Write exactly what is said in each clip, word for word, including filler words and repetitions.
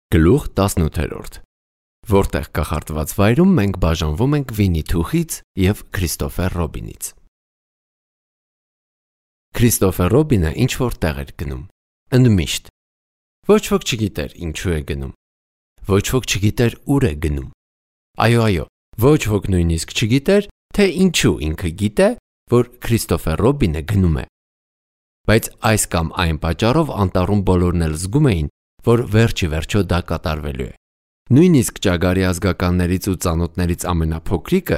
Գլուխ տասնութ, որտեղ կախարդված վայրում մենք բաժանվում ենք Վինի Թուխից և Քրիստոֆեր Ռոբինից։ Քրիստոֆեր Ռոբինը ինչ-որ տեղ էր գնում, ընդմիշտ։ Ոչ ոք չգիտեր ինչու է գնում, ոչ ոք չգիտեր ուր է գնում։ Այո, այո, ոչ ոք նույնիսկ չգիտեր, թե ինչու ինքը գիտե, որ Քրիստոֆեր Ռոբինը գնում է։ Բայց այս կամ այն պատճառով անտառում բոլորն էլ զգում էին, որ վերջի վերջո դա կատարվելու է։ Նույնիսկ ճագարի ազգականներից ու ծանոթներից ամենափոքրիկը,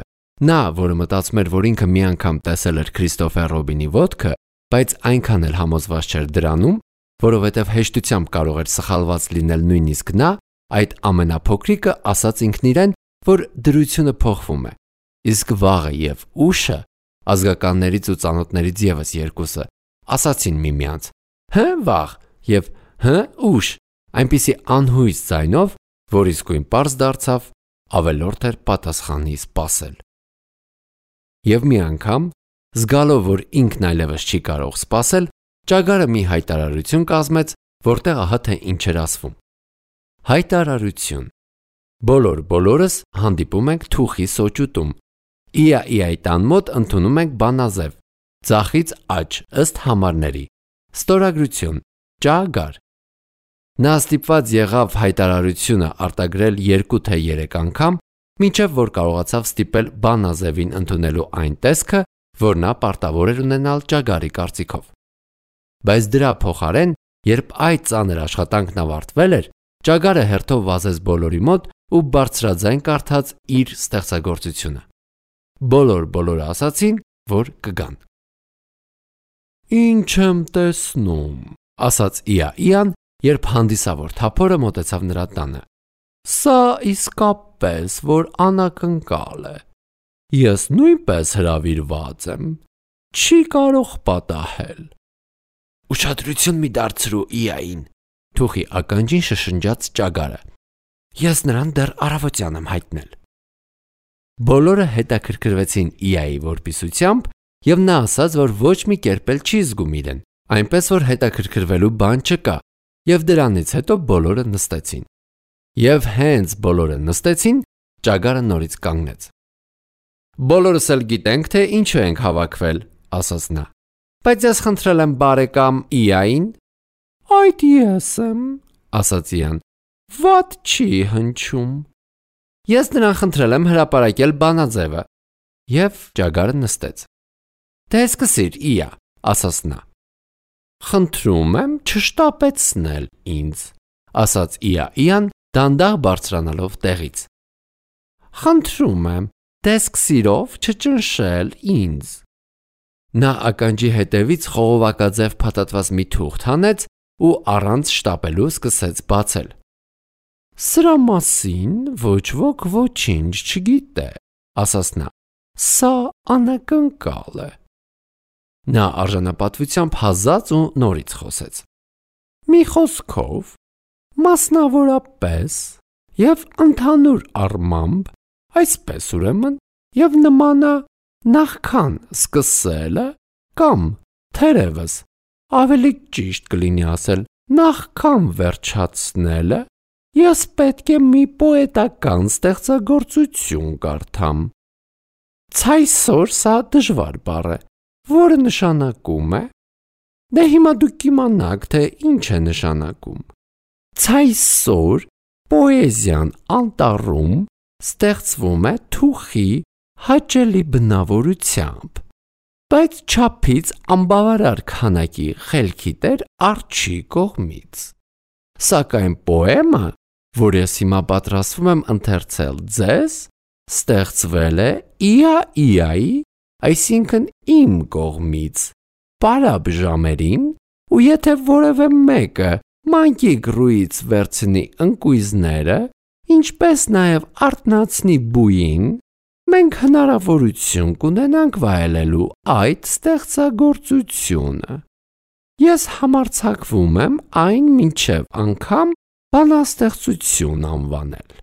նա, որը մտածում էր, որ ինքը մի անգամ տեսել էր Քրիստոֆեր Ռոբինի ոտքը, բայց այնքան էլ համոզված չէր դրանում, որովհետև հեշտությամբ կարող էր սխալված լինել նույնիսկ նա, այդ ամենափոքրիկը ասաց ինքն իրեն, որ դրությունը փոխվում է։ Իսկ վաղը և ուշը, ազգականներից ու ծանոթներից ևս երկուսը, ասացին միմյանց. «Հը, վաղ» և «Հը, ուշ», այնպիսի անհույս ձայնով, որ իսկույն պարզ դարձավ, ավելորդ էր պատասխանի սպասել։ Եվ մի անգամ, զգալով, որ ինքն այլևս չի կարող սպասել, ճագարը մի հայտարարություն կազմեց, որտեղ ահա թե ինչ էր ասվում։ Հայտարարություն. բոլոր բոլորս հանդիպում ենք Թուխի սոճուտում։ Իա-իայի տան մոտ ընդունում ենք բանաձև, ձախից աջ ըստ համարների։ Ստորագրություն. ճագար։ Նա ստիպված եղավ հայտարարությունը արտագրել երկու թե երեք անգամ, մինչև որ կարողացավ ստիպել բանաձևին ընդունելու այն տեսքը, որ նա պարտավոր էր ունենալ ճագարի կարծիքով։ Բայց դրա փոխարեն, երբ այդ ծանր աշխատանքն ավարտվել էր, ճագարը հերթով վազեց բոլորի մոտ ու բարձրաձայն կարդաց իր ստեղծագործությունը։ Բոլոր բոլորը ասացին, որ կգան։ «Ինչ եմ տեսնում», ասաց Իա-իան, երբ հանդիսավոր թափորը մոտեցավ նրա տանը։ «Սա իսկապես որ անակնկալ է։ Ես նույնպես հրավիրված եմ, չի կարող պատահել»։ «Ուշադրություն մի դարձրու Իային», Թուխի ականջին շշնջաց ճագարը։ «Ես նրան դեռ առավոտյան եմ հայտնել»։ Բոլորը հետաքրքրվեցին Իայի որպիսությամբ, և նա ասաց, որ ոչ մի կերպ էլ չի զգում իրեն, այնպես որ հետաքրքրվելու բան չկա, և դրանից հետո բոլորը նստեցին։ Եվ հենց բոլորը նստեցին, ճագարը նորից կանգնեց։ «Բոլորս էլ գիտենք, թե ինչու ենք հավաքվել», ասաց նա։ «Բայց ես խնդրել եմ բարեկամ Իային»։ «Այդ ես եմ», ասաց Իան, «վատ չի հնչում»։ «Ես նրան խնդրել եմ հրապարակել բանաձևը»։ Եվ ճագարը նստեց։ «Դե սկսիր, Իա», ասաց նա։ «Խնդրում եմ չշտապեցնել ինձ», ասաց Իա-իան, դանդաղ բարձրանալով տեղից։ «Խնդրում եմ տեսք-սիրով չճնշել ինձ»։ Նա ականջի հետևից խողովակաձև փաթաթված մի թուղթ հանեց ու առանց շտապելու սկսեց բացել։ «Սրա մասին ոչ ոք ոչինչ չգիտե», ասաց նա։ «Սա անակնկալ է»։ Նա արժանապատվությամբ հազաց ու նորից խոսեց։ «Մի խոսքով, մասնավորապես և ընդհանուր առմամբ, այսպես ուրեմն, և նմանա նախքան սկսելը կամ թերևս, ավելի ճիշտ կլինի ասել, նախքան վերջացնելը, ես պետք է մի պոետական ստեղծագործություն կարդամ։ Ցայսօր սա դժվար բառ է, որը նշանակում է, դե հիմա դուք կիմանաք, թե ինչ է նշանակում։ Ցայսօր պոեզիան անտառում ստեղծվում է Թուխի հաճելի բնավորությամբ, բայց չափից անբավարար քանակի խելքի տեր Արջի կողմից։ Սակայն պոեմը, որ ես հիմա պատրաստվում եմ ընթերցել ձեզ, ստեղծվել է Իա-իայի, այսինքն իմ կողմից, պարապ ժամերին, ու եթե որևէ մեկը մանկիկ-ռուից վերցնի ընկույզները, ինչպես նաև արթնացնի բույին, մենք հնարավորություն կունենանք վայելելու այդ ստեղծագործությունը։ Ես համարձակվում եմ այն մինչև անգամ բանաստեղծություն անվանել։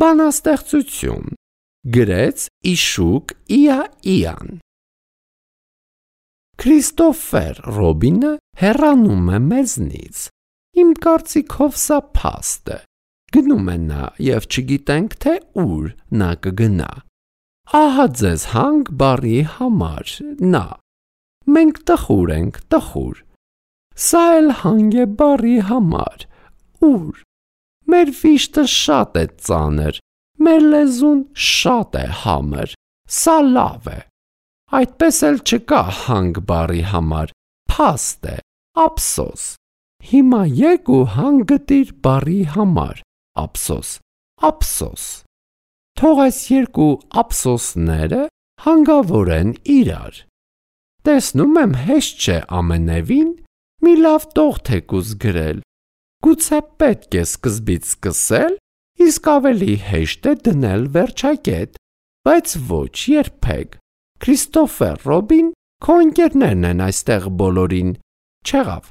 Բանաստեղծություն, գրեց Իշուկ Իա-իան։ Քրիստոֆեր Ռոբինը հեռանում է մեզնից, Իմ կարծիքով սա փաստ է։ Գնում է նա եւ չգիտենք թե ուր նա կգնա։ Ահա ձեզ հանգ բառի համար նա։ Մենք տխուր ենք, տխուր։ Սա էլ հանգ է բառի համար ուր։ Մեր վիշտը շատ է ծանր, մեր լեզուն շատ է համր։ Սա լավ է։ Այդպես էլ չկա հանգ բառի համար, փաստ է, ափսոս։ Հիմա եկ ու հանգ գտիր բառի համար, ափսոս, ափսոս։ Թող այս երկու ափսոսները հանգավորեն իրար։ Տեսնում եմ հեշտ չէ ամենևին մի լավ տող թեկուզ գրել։ Գուցե պետք է սկզբից սկսել, իսկ ավելի հեշտ է դնել վերջակետ, բայց ոչ երբեք։ Քրիստոֆեր Ռոբին քո ընկերներն են այստեղ բոլորին, չեղավ։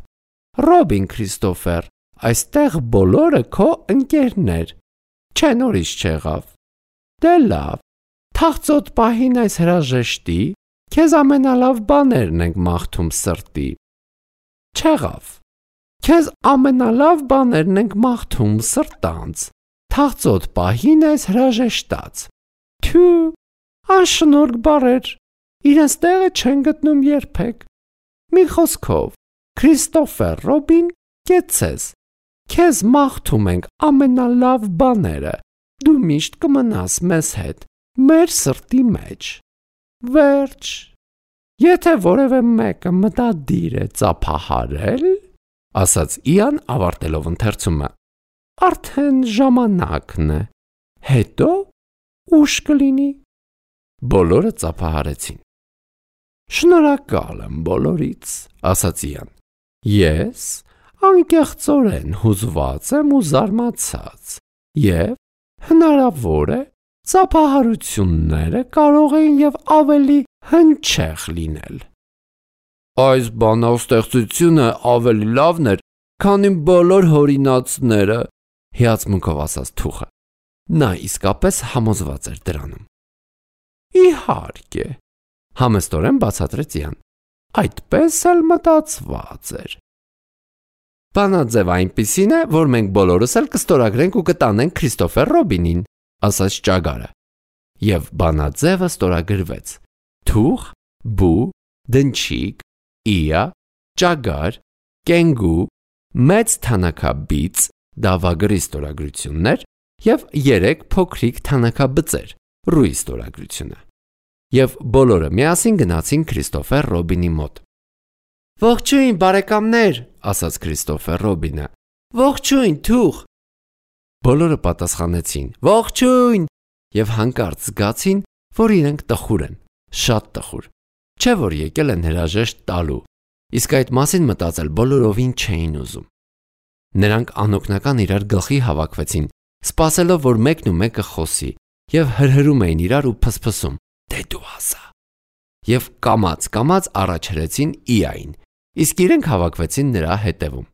Ռոբին Քրիստոֆեր, այստեղ բոլորը քո ընկերներ, չէ նորից չեղավ։ Դե լավ, թաղծոտ պահին այս հրաժեշտի, քեզ ամենալավ բաներն ենք մաղթում սրտի։ Չեղավ։ Քեզ ամենալավ բաներն ենք մաղթում սրտանց, թաղծոտ պահին այս հրաժեշտած։ Թյու, անշնորհք բառեր, իրենց տեղը չեն գտնում երբեք։ Մի խոսքով, Քրիստոֆեր Ռոբին, կեցես, քեզ մաղթում ենք ամենալավ բաները, դու միշտ կմնաս մեզ հետ, մեր սրտի մեջ։ Վերջ։ Եթե որևէ մեկը մտադիր է ծափահարել, ասաց Իան ավարտելով ընթերցումը, արդեն ժամանակն է, հետո ուշ կլինի։ Բոլորը ծափահարեցին։ Շնորհակալ եմ բոլորից, ասաց Իան։ Ես անկեղծորեն հուզված եմ ու զարմացած, եւ հնարավոր է ծափահարությունները կարող են եւ ավելի հնչեղ լինել։ Այս բանաստեղծությունը ավելի լավն էր, քան իմ բոլոր հորինածները, հիացմունքով ասաց թուխը։ Նա իսկապես համոզված էր դրանում։ Իհարկե, համեստորեն բացատրեց Իան, այդպես էլ մտածված էր։ Բանաձևը այնպիսին է, որ մենք բոլորս էլ կստորագրենք ու կտանենք Քրիստոֆեր Ռոբինին, ասաց ճագարը։ Եվ բանաձևը ստորագրվեց։ Թուխ, բու, դնչիկ, Իա, ճագար, կենգու, մեծ թանաքաբիծ, դավագրի ստորագրություններ եւ երեք փոքրիկ թանաքաբծեր, ռուի ստորագրությունը։ Եվ բոլորը միասին գնացին Քրիստոֆեր Ռոբինի մոտ։ Ողջույն, բարեկամներ, ասաց Քրիստոֆեր Ռոբինը։ Ողջույն, թուխ։ Բոլորը պատասխանեցին. Ողջույն, եւ հանկարծ զգացին, որ իրենք տխուր են, շատ տխուր։ Չէ որ եկել են հրաժեշտ տալու, իսկ այդ մասին մտածել բոլորովին չէին ուզում։ Նրանք անօգնական իրար գլխի հավաքվեցին, սպասելով, որ մեկն ու մեկը խոսի, եւ հրհրում էին իրար ու փսփսում. Դե դու ասա։ Եվ կամաց-կամաց առաջրեցին Իային, իսկ իրենք հավաքվեցին նրա հետևում։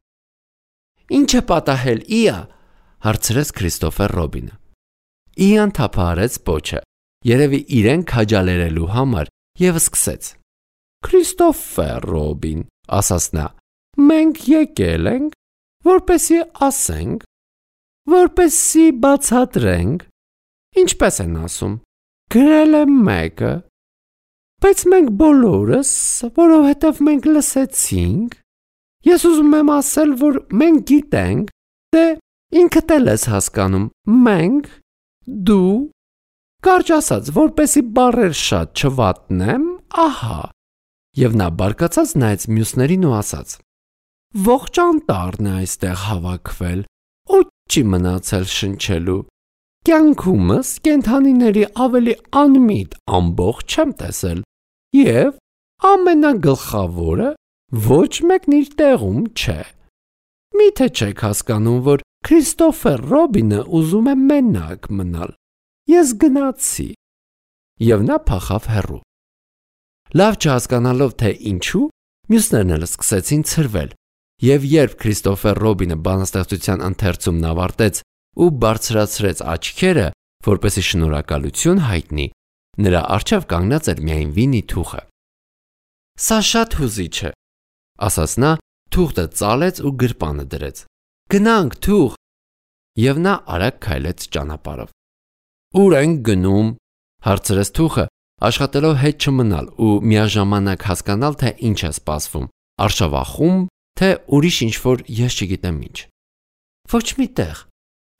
Ինչ է պատահել, Իա, հարցրեց Քրիստոֆեր Ռոբինը։ Իան թափահարեց պոչը, երևի իրեն քաջալերելու համար, եւ սկսեց. Քրիստոֆեր Ռոբին, ասաց նա, մենք եկել ենք, որպեսզի ասենք, որպեսզի բացատրենք, ինչպես են ասում, գրել է մեկը, բայց մենք բոլորս, որովհետև մենք լսեցինք, ես ուզում եմ ասել, որ մենք գիտենք, դե ինքդ էլ ես հասկանում, մենք, դու, կարճ ասած, որպեսի բառեր շատ չվատնեմ, ահա, եւ նա բարկացած նայեց մյուսներին ու ասաց. Ողջ անտառն է այստեղ հավաքվել, ու չի մնացել շնչելու, կյանքումս կենդանիների ավելի անմիտ ամբողջ չեմ տեսել, եւ ամենագլխավորը ոչ մեկն իր տեղում չէ։ Միթե չեք հասկանում, որ Քրիստոֆեր Ռոբինը ուզում է մենակ մնալ։ Ես գնացի։ Եվ նա փախավ հեռու։ Լավ չհասկանալով թե ինչու, մյուսներն էլ սկսեցին ցրվել, եւ երբ Քրիստոֆեր Ռոբինը բանաստեղծության ընթերցումն ավարտեց ու բարձրացրեց աչքերը, որպեսզի շնորհակալություն հայտնի, նրա առջև կանգնած էր միայն Վինի թուխը։ Սա շատ հուզիչ է, ասաց նա, թուղթը ծալեց ու գրպանը դրեց։ Գնանք, թուղ։ Եվ նա արագ քայլեց ճանապարհով։ Ուր ենք գնում, հարցրեց թուղը, աշխատելով հետ չմնալ ու միաժամանակ հասկանալ, թե ինչ է սպասվում, արշավախում, թե ուրիշ ինչ-որ ես չգիտեմ ինչ։ Ոչ մի տեղ,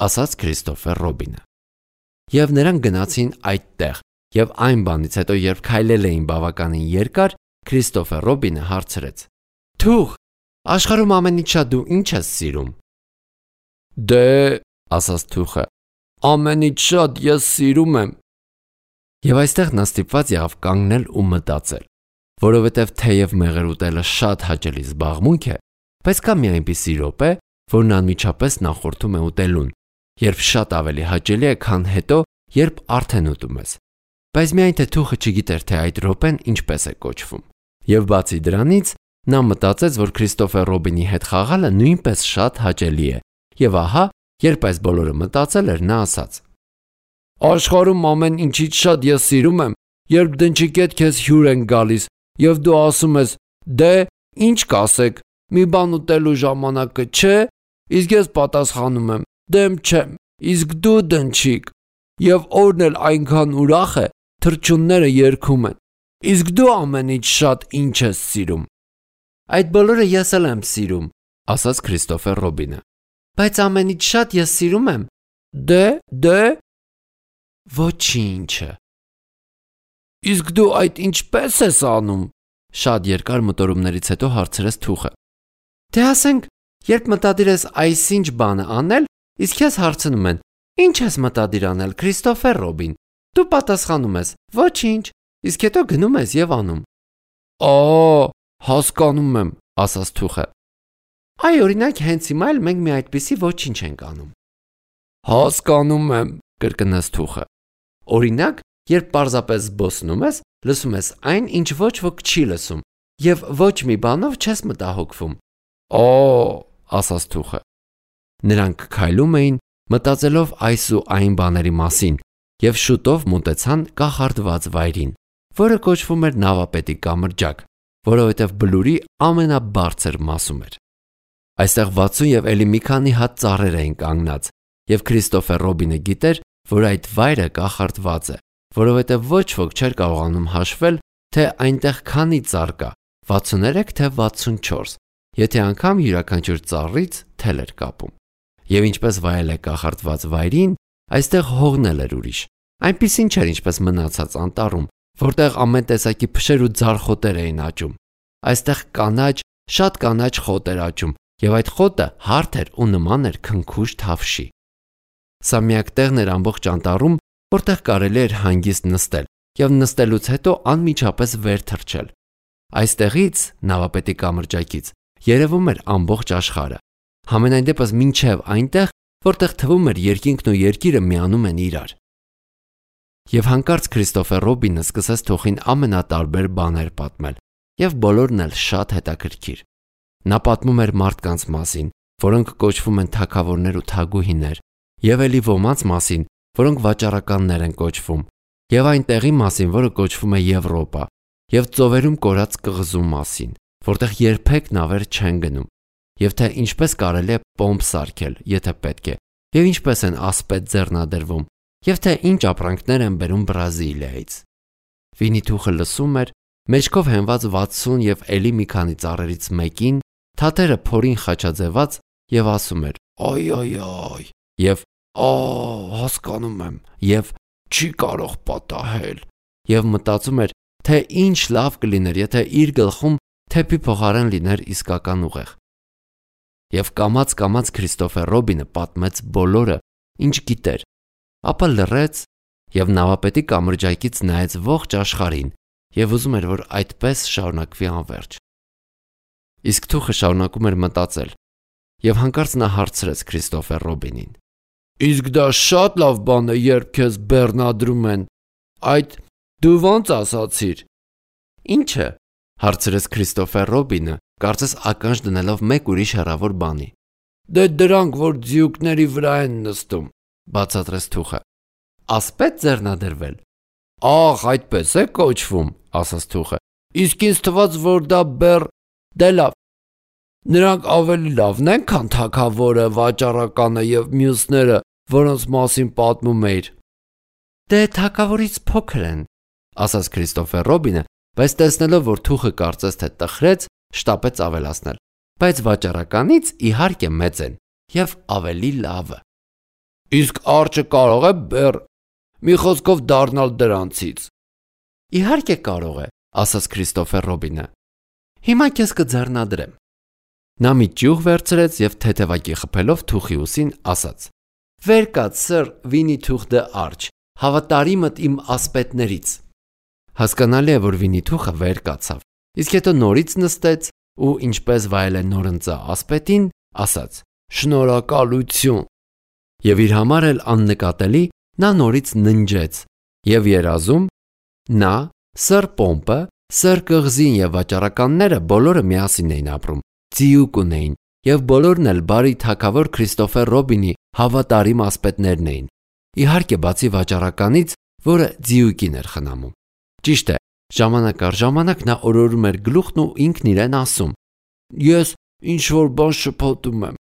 ասաց Քրիստոֆեր Ռոբինը։ Եվ նրանք գնացին այդ տեղ, եւ այն բանից հետո, երբ քայլել էին բավականին երկար, Քրիստոֆեր Ռոբինը հարցրեց. Թուղ, աշխարհում ամենից շատ դու ինչ ես սիրում։ Դե, ասաց թուղը, ամենից շատ ես սիրում եմ։ Եվ այստեղ նա ստիպված եղավ կանգնել ու մտածել, որովհետև թեև մեղր ուտելը շատ հաճելի զբաղմունք է, բայց կա մի այնպիսի րոպե, որն անմիջապես նախորդում է ուտելուն, երբ շատ ավելի հաճելի է, քան հետո, երբ արդեն ուտում ես։ Բայց միայն թե թուղը չգիտեր, թե այդ րոպեն ինչպես է կոչվում։ Եվ բացի դրանից, նա մտածեց, որ Քրիստոֆեր Ռոբինի հետ խաղալը նույնպես շատ հաճելի է։ Եվ ահա, երբ այս բոլորը մտածել էր, նա ասաց. Աշխարհում ամեն ինչից շատ ես սիրում եմ, երբ դնչիկետ քեզ հյուր են գալիս, եւ դու ասում ես. «Դե, ինչ կասեք, մի բան ուտելու ժամանակը չէ», իսկ ես պատասխանում եմ. «Դեմ չեմ, իսկ դու դնչիկ»։ Եվ օրն էլ այնքան ուրախ է, թռչունները երգում են։ Իսկ դու ամենից շատ ինչ ես սիրում։ Այդ բոլորը ես էլ եմ սիրում, ասաց Քրիստոֆեր Ռոբինը։ Բայց ամենից շատ ես սիրում եմ։ Դե, դե ոչինչը։ Իսկ դու այդ ինչպես ես անում։ Շատ երկար մտորումներից հետո հարցրեց թուղը։ Դե ասենք, երբ մտադիր ես այսինչ բանը անել, իսկ ես հարցնում են. Ինչ ես մտադիր անել, Քրիստոֆեր Ռոբին։ Դու պատասխանում ես. Ոչինչ, իսկ հետո գնում ես եւ անում։ Ա, հասկանում եմ, ասաց թուղը։ Այ օրինակ հենց հիմա էլ մենք մի այդպիսի ոչինչ ենք անում։ Հասկանում եմ, կրկնեց թուղը։ Օրինակ, երբ պարզապես զբոսնում ես, լսում ես այն, ինչ ոչ ոք չի լսում, եւ ոչ մի բանով չես մտահոգվում։ Օ, ասաց թուղը։ Նրանք քայլում էին, մտածելով այս ու այն բաների մասին, եւ շուտով մոտեցան կախարդված վայրին, որը կոչվում էր Նավապետի կամրջակ, որովհետեւ բլուրի ամենաբարձր մասում էր։ Այստեղ վաթսուն եւ էլի մի քանի հատ ծառեր էին կանգնած, եւ Քրիստոֆեր Ռոբինը գիտեր, որ այդ վայրը կախարդված է, որովհետեւ ոչ ոք չէր կարողանում հաշվել, թե այնտեղ քանի ծառ կա, վաթսուներեք թե վաթսունչորս, եթե անգամ յուրաքանչյուր ծառից թել էր կապում։ Եվ ինչպես վայել է կախարդված վայրին, այստեղ հողն էր ուրիշ։ Այնպիսին չէր, ինչպես մնացած անտառում, որտեղ ամեն տեսակի փշեր ու ձարխոտեր էին աճում։ Այստեղ կանաչ, շատ կանաչ խոտ էր աճում, եւ այդ խոտը հարթ էր ու նման էր քնքուշ թավշի։ Սա միակ տեղն էր ամբողջ անտառում, որտեղ կարելի էր հանգիստ նստել եւ նստելուց հետո անմիջապես վեր թռչել։ Այստեղից, Նավապետի կամրջակից, երևում էր ամբողջ աշխարհը։ Համենայն դեպս մինչև այնտեղ, որտեղ թվում էր երկինքն ու երկիրը միանում են իրար։ Եվ հանկարծ Քրիստոֆեր Ռոբինը սկսեց թողին ամենատարբեր բաներ պատմել, եւ բոլորն էլ շատ հետաքրքիր։ Նա պատմում էր մարդկանց մասին, որոնք կոչվում են թագավորներ ու թագուհիներ, եւ ելի ոմանց մասին, որոնք վաճառականներ են կոչվում, եւ այն տեղի մասին, որը կոչվում է Եվրոպա, եւ ծովերում կորած կղզու մասին, որտեղ երբեք նավեր չեն գնում, եւ թե ինչպես կարելի է պոմպ սարքել, եթե պետք է, եւ ինչպես են ասպետ ձեռնադրվում, եւ թե ինչ ապրանքներ են բերում Բրազիլիայից։ Վինիթուխը լսում էր, մեջքով հենված վաթսուն եւ էլի մի քանի ծառերից մեկին, թաթերը փորին խաչաձևած եւ ասում էր. «Այ այ այ» եւ «Ա, հասկանում եմ» եւ «Չի կարող պատահել» եւ մտածում էր, թե ինչ լավ կլիներ, եթե իր գլխում թեփի փոխարեն լիներ իսկական ուղեղ։ Եվ կամաց-կամաց Քրիստոֆեր Ռոբինը պատմեց բոլորը, ինչ գիտեր, ապա լռեց եւ Նավապետի կամրջակից նայեց ողջ աշխարհին եւ ուզում էր, որ այդպես շարունակվի անverջ։ Իսկ թուխը շարունակում էր մտածել եւ հանկարծ նա հարցրեց Քրիստոֆեր Ռոբինին. Իսկ դա շատ լավ բան է, երբ քեզ բեռնադրում են։ Այդ դու ո՞նց ասացիր։ Ինչը, հարցրեց Քրիստոֆեր Ռոբինը, կարծես ականջ դնելով մեկ ուրիշ հեռավոր բանի։ Դե դրանք, որ ձիուկների վրա են նստում, բացատրեց թուխը։ Ասպետ ձեռնադրվել։ Ահ, այդպես է կոչվում, ասաց թուխը։ Իսկ ինձ թվաց, որ դա բեռ։ Դե լավ։ Նրանք ավելի լավն են, քան թագավորը, վաճառականը եւ մյուսները, որոնց մասին պատմում էիր։ Դե թագավորից փոքր են, ասաց Քրիստոֆեր Ռոբինը, բայց տեսնելով, որ թուխը կարծես թե տխրեց, շտապեց ավելացնել։ Բայց վաճառականից իհարկե մեծ են եւ ավելի լավը։ Իսկ արջը կարող է բեռ, մի խոսքով դառնալ դրանցից։ Իհարկե կարող է, ասաց Քրիստոֆեր Ռոբինը։ Հիմա քեզ կձեռնադրեմ։ Նա մի ճյուղ վերցրեց եւ թեթևակի խփելով թուխի ուսին ասաց. Վեր կաց, սր Վինի Թուխ դը Արջ, հավատարիմդ իմ ասպետներից։ Հասկանալի է, որ Վինի Թուխը վեր կացավ, իսկ հետո նորից նստեց ու ինչպես վայել է նորընծա ասպետին, ասաց. Շնորհակալություն։ Եվ իր համար էլ աննկատելի նա նորից ննջեց եւ երազում նա, սր Պոմպը, սր Կղզին եւ վաճառականները բոլորը միասին էին ապրում, ձիուկ ունեին եւ բոլորն էլ բարի թագավոր Քրիստոֆեր Ռոբինի հավատարիմ ասպետներն էին։ Իհարկե բացի վաճառականից, որը ձիուկին էր խնամում։ Ճիշտ է, ժամանակ առ ժամանակ նա օրորում էր գլուխն ու ինքն իրեն ասում. Ես ինչ որ բան շփոթում եմ։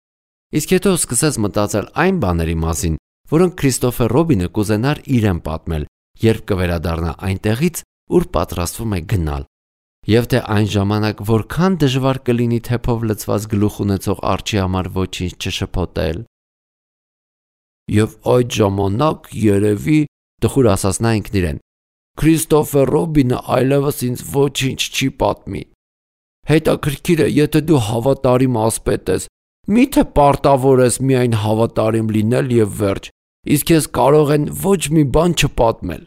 Իսկ հետո սկսեց մտածել այն բաների մասին, որոնք Քրիստոֆեր Ռոբինը կուզենար իրեն պատմել, երբ կվերադառնա այնտեղից, ուր պատրաստվում է գնալ։ Եվ թե այն ժամանակ որքան դժվար կլինի թեփով լցված գլուխ ունեցող արջի համար ոչինչ չշփոթել։ Եվ այդ ժամանակ երևի տխուր ասաց նա ինքն իրեն. Քրիստոֆեր Ռոբինը այլևս ինձ ոչինչ չի պատմի։ Հետաքրքիր է, եթե դու հավատարիմ ասպետ ես, միթե պարտավոր ես միայն հավատարիմ լինել եւ վերջ, իսկ ես կարող են ոչ մի բան չպատմել։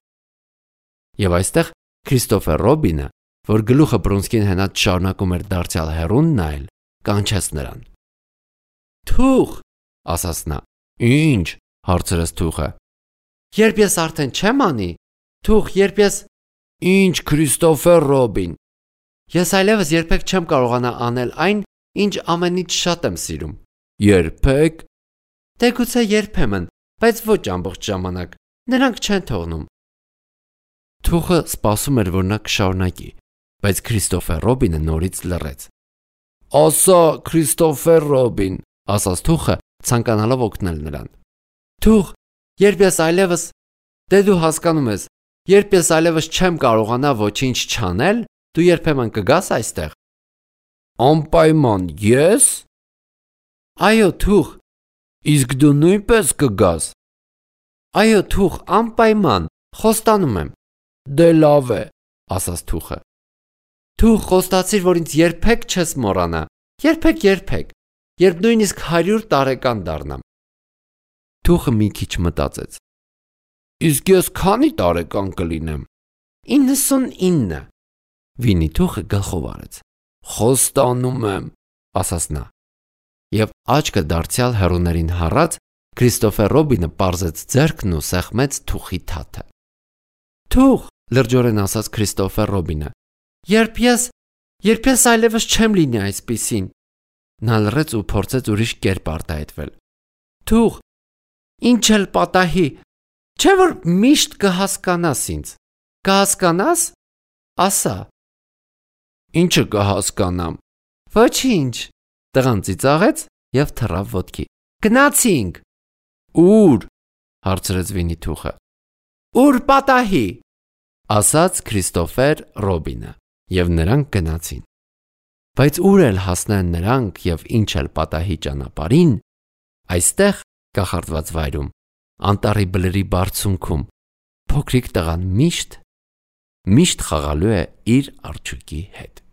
Եվ այստեղ Քրիստոֆեր Ռոբինը, որ գլուխը բռունցքին հենած շարունակում էր դարձյալ հեռուն նայել, կանչեց նրան։ Թուխ, ասաց նա։ Ինչ, հարցրեց թուխը։ Երբ ես արդեն չեմ անի, թուխ, երբ ես Ինչ Քրիստոֆեր Ռոբին։ Ես այլևս երբեք չեմ կարողանա անել այն, ինչ ամենից շատ եմ սիրում։ Երբեք։ Դե գուցե երբեմն, բայց ոչ ամբողջ ժամանակ։ Նրանք չեն թողնում։ Թուխը սպասում էր, որ նա կշարունակի, բայց Քրիստոֆեր Ռոբինը նորից լռեց։ Ասա, Քրիստոֆեր Ռոբին, ասաց թուխը, ցանկանալով օգնել նրան։ Թուխ, երբ ես այլևս, դե դու հասկանում ես, երբ ես այլևս չեմ կարողանա ոչինչ չանել, դու երբեմն կգաս այստեղ։ Անպայման ես։ Այո, թուխ։ Իսկ դու նույնպես կգաս։ Այո, թուխ, անպայման, խոստանում եմ։ Դե լավ է, ասաց թուխը։ Թուխ, խոստացիր, որ ինձ երբեք չես մոռանա։ Երբեք, երբեք, երբ նույնիսկ հարյուր տարեկան դառնամ։ Թուխը մի քիչ մտածեց։ Իսկ ես քանի տարեկան կլինեմ։ իննսունինը։ Վինի Թուխը գլխով արեց։ Խոստանում եմ, ասաց նա։ Եվ աչքը դարձյալ հեռուներին հառած, Քրիստոֆեր Ռոբինը պարզեց ձեռքն ու սեղմեց թուխի թաթը։ Թուխ, լրջորեն ասաց Քրիստոֆեր Ռոբինը։ Երբ ես, երբ ես այլևս չեմ լինի այսպիսին։ Նա լռեց ու փորձեց ուրիշ կերպ արտահայտվել։ Թուխ, ինչ էլ պատահի, չէ՞ որ միշտ կհասկանաս ինձ։ Կհասկանաս։ Ասա։ Ինչը կհասկանամ։ Ոչինչ։ Տղան ծիծաղեց եւ թռավ ոտքի։ Գնացինք։ Ուր։ հարցրեց Վինի Թուխը։ Ուր պատահի։ ասաց Քրիստոֆեր Ռոբինը, եւ նրանք գնացին։ Բայց ուր էլ հասնեն նրանք եւ ինչ էլ պատահի ճանապարհին, այստեղ կախարդված վայրում, անտառի բլրի բարձունքում, փոքրիկ տղան միշտ միշտ խաղալու է իր արջուկի հետ։